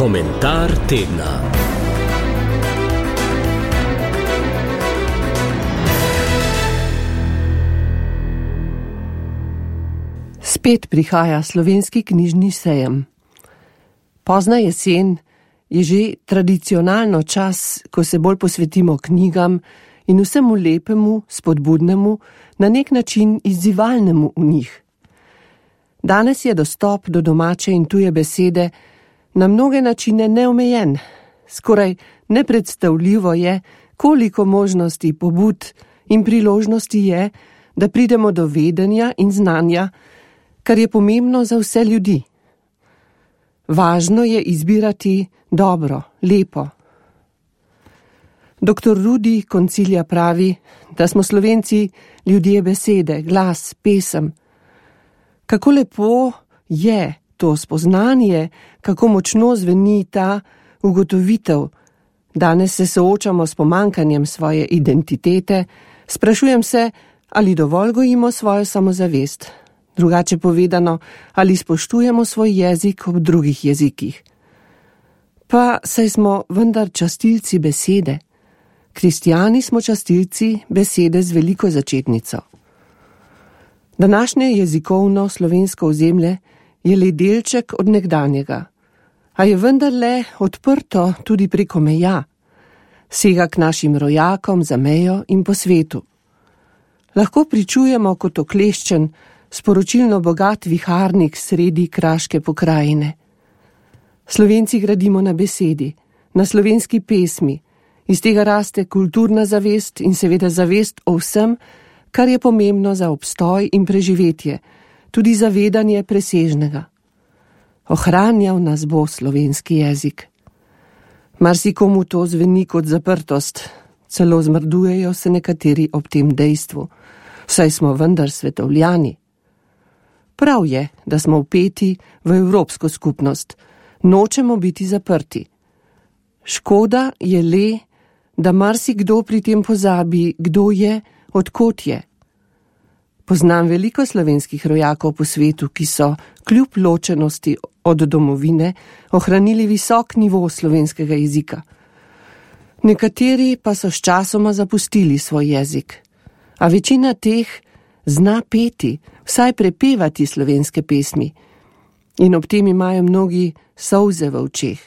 Komentar tedna. Spet prihaja slovenski knjižni sejem. Pozna jesen je že tradicionalno čas, ko se bolj posvetimo knjigam in vsemu lepemu, spodbudnemu, na nek način izzivalnemu v njih. Danes je dostop do domače in tuje besede na mnoge načine neomejen. Skoraj nepredstavljivo je, koliko možnosti, pobud in priložnosti je, da pridemo do vedenja in znanja, kar je pomembno za vse ljudi. Važno je izbirati dobro, lepo. Dr. Rudi Koncilja pravi, da smo Slovenci ljudje besede, glas, pesem. Kako lepo je to spoznanje, kako močno zveni ta ugotovitev. Danes se soočamo s pomanjkanjem svoje identitete, sprašujem se, ali dovolj gojimo svojo samozavest. Drugače povedano, ali spoštujemo svoj jezik ob drugih jezikih. Pa saj smo vendar častilci besede. Kristjani smo častilci besede z veliko začetnico. Današnje jezikovno slovensko ozemlje je le delček od nekdanjega, a je vendarle odprto tudi preko meja, sega k našim rojakom za mejo in po svetu. Lahko pričujemo kot okleščen, sporočilno bogat viharnik sredi kraške pokrajine. Slovenci gradimo na besedi, na slovenski pesmi, iz tega raste kulturna zavest in seveda zavest o vsem, kar je pomembno za obstoj in preživetje, tudi zavedanje presežnega. Ohranjal nas bo slovenski jezik. Marsikomu to zveni kot zaprtost, celo zmrdujejo se nekateri ob tem dejstvu, saj smo vendar svetovljani. Prav je, da smo vpeti v evropsko skupnost, nočemo biti zaprti. Škoda je le, da marsikdo pri tem pozabi, kdo je, od kod je. Poznam veliko slovenskih rojakov po svetu, ki so kljub ločenosti od domovine ohranili visok nivo slovenskega jezika. Nekateri pa so sčasoma zapustili svoj jezik, a večina teh zna peti, vsaj prepevati slovenske pesmi. In ob tem imajo mnogi solze v očeh.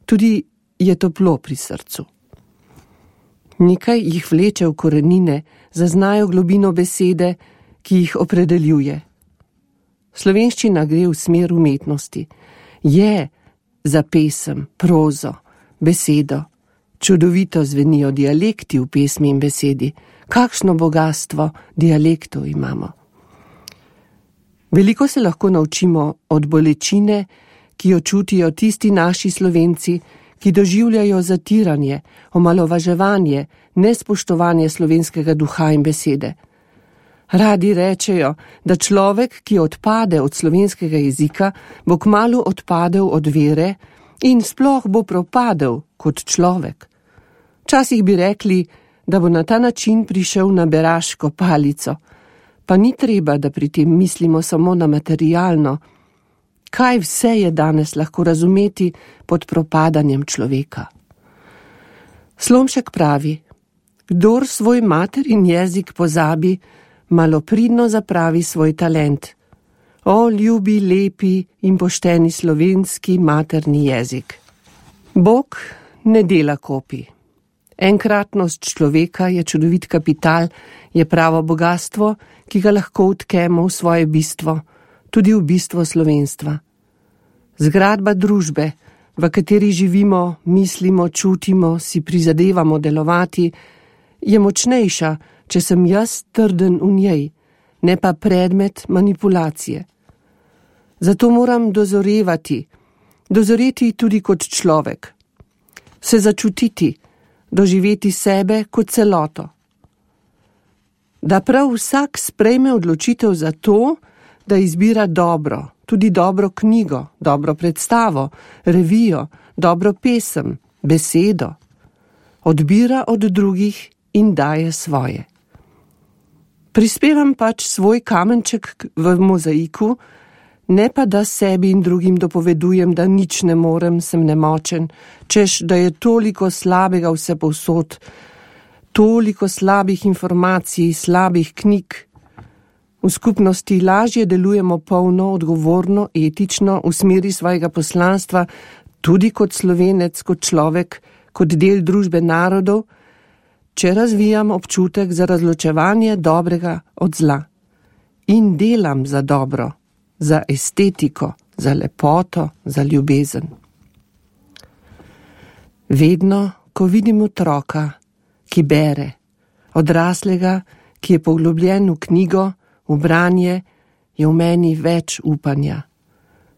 Tudi je toplo pri srcu. Nekaj jih vleče v korenine, zaznajo globino besede, ki jih opredeljuje. Slovenščina gre v smer umetnosti. Je za pesem, prozo, besedo. Čudovito zvenijo dialekti v pesmi in besedi. Kakšno bogastvo dialektov imamo. Veliko se lahko naučimo od bolečine, ki jo čutijo tisti naši Slovenci, ki doživljajo zatiranje, omalovaževanje, nespoštovanje slovenskega duha in besede. Radi rečejo, da človek, ki odpade od slovenskega jezika, bo kmalu odpadel od vere in sploh bo propadel kot človek. Včasih bi rekli, da bo na ta način prišel na beraško palico, pa ni treba, da pri tem mislimo samo na materialno. Kaj vse je danes lahko razumeti pod propadanjem človeka? Slomšek pravi, kdor svoj materin jezik pozabi, malopridno zapravi svoj talent. O, ljubi, lepi in pošteni slovenski materni jezik. Bog ne dela kopij. Enkratnost človeka je čudovit kapital, je pravo bogastvo, ki ga lahko vtkemo v svoje bistvo, tudi v bistvo slovenstva. Zgradba družbe, v kateri živimo, mislimo, čutimo, si prizadevamo delovati, je močnejša, če sem jaz trden v njej, ne pa predmet manipulacije. Zato moram dozoreti tudi kot človek, se začutiti, doživeti sebe kot celoto. Da prav vsak sprejme odločitev za to, da izbira dobro, tudi dobro knjigo, dobro predstavo, revijo, dobro pesem, besedo. Odbira od drugih in daje svoje. Prispevam pač svoj kamenček v mozaiku, Ne pa, da sebi in drugim dopovedujem, da nič ne morem, sem nemočen, češ, da je toliko slabega vse povsod, toliko slabih informacij, slabih knjig. V skupnosti lažje delujemo polno, odgovorno, etično, v smeri svojega poslanstva, tudi kot Slovenec, kot človek, kot del družbe narodov, če razvijam občutek za razločevanje dobrega od zla. In delam za dobro, za estetiko, za lepoto, za ljubezen. Vedno, ko vidim otroka, ki bere, odraslega, ki je poglobljen v knjigo, v branje, je v meni več upanja.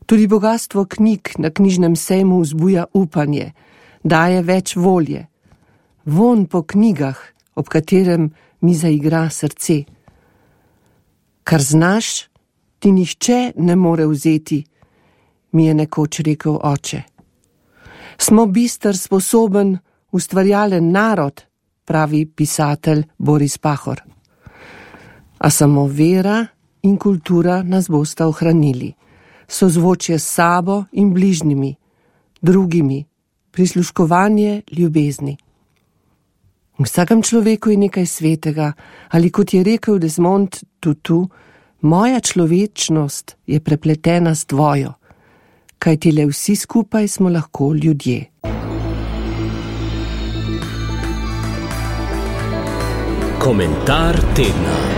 Tudi bogastvo knjig na knjižnem sejmu vzbuja upanje, daje več volje. Vonj po knjigah, ob katerem mi zaigra srce. Kar znaš, ti nihče ne more vzeti, mi je nekoč rekel oče. Smo bister, sposoben, ustvarjalen narod, pravi pisatelj Boris Pahor. A samo vera in kultura nas bosta ohranili, sozvočje s sabo in bližnjimi, drugimi, prisluškovanje ljubezni. V vsakem človeku je nekaj svetega, ali kot je rekel Desmond Tutu, moja človečnost je prepletena s tvojo, kajti le vsi skupaj smo lahko ljudje. Komentar tedna.